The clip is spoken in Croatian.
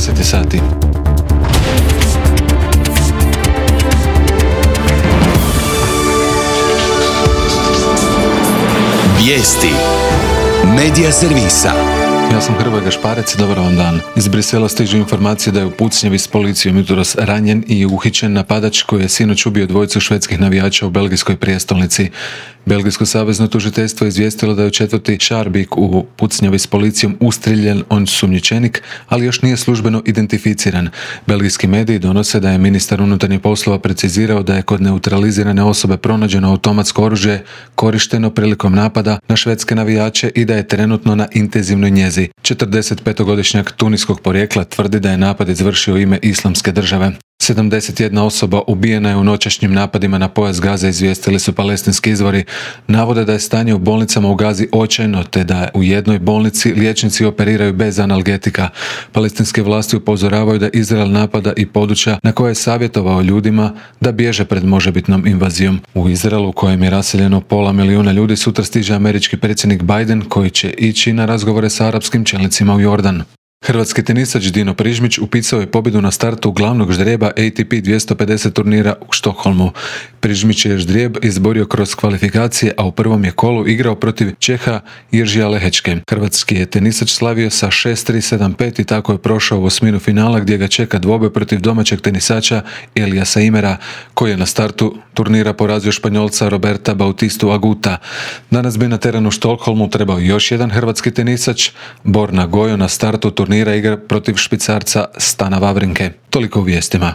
10 sati. Vijesti Medija servisa. Ja sam Hrvoje Gašparec, dobar vam dan. Iz Brisela stižu informacije da je u pucnjavi s policijom jutros ranjen i uhićen napadač koji je sinoć ubio dvojicu švedskih navijača u belgijskoj prijestolnici. Belgijsko savezno tužiteljstvo je izvijestilo da je u četvrti Šarbik u pucnjavi s policijom ustrijeljen osumnjičenik, ali još nije službeno identificiran. Belgijski mediji donose da je ministar unutarnjih poslova precizirao da je kod neutralizirane osobe pronađeno automatsko oružje korišteno prilikom napada na švedske navijače i da je trenutno na intenzivnoj njezi. 45-godišnjak tuniskog porijekla tvrdi da je napad izvršio u ime Islamske države. 71 osoba ubijena je u noćašnjim napadima na pojas Gaze, izvijestili su palestinski izvori. Navode da je stanje u bolnicama u Gazi očajno, te da u jednoj bolnici liječnici operiraju bez analgetika. Palestinske vlasti upozoravaju da Izrael napada i područja na koje je savjetovao ljudima da bježe pred možebitnom invazijom. U Izraelu, u kojem je raseljeno 500 000 ljudi, sutra stiže američki predsjednik Biden koji će ići na razgovore sa arapskim čelnicima u Jordan. Hrvatski tenisač Dino Prižmić upisao je pobjedu na startu glavnog ždrijeba ATP 250 turnira u Štokholmu. Prižmić je ždrijeb izborio kroz kvalifikacije, a u prvom je kolu igrao protiv Čeha Jiržija Lehečke. Hrvatski je tenisač slavio sa 6-3, 7-5 i tako je prošao u osminu finala gdje ga čeka dvoboj protiv domaćeg tenisača Eliasa Imera, koji je na startu turnira porazio Španjolca Roberta Bautistu Aguta. Danas bi na terenu u Štokholmu trebao još jedan hrvatski tenisač, Borna Gojo, na startu turnira igra protiv Švicarca Stana Wawrinke. Toliko u vijestima.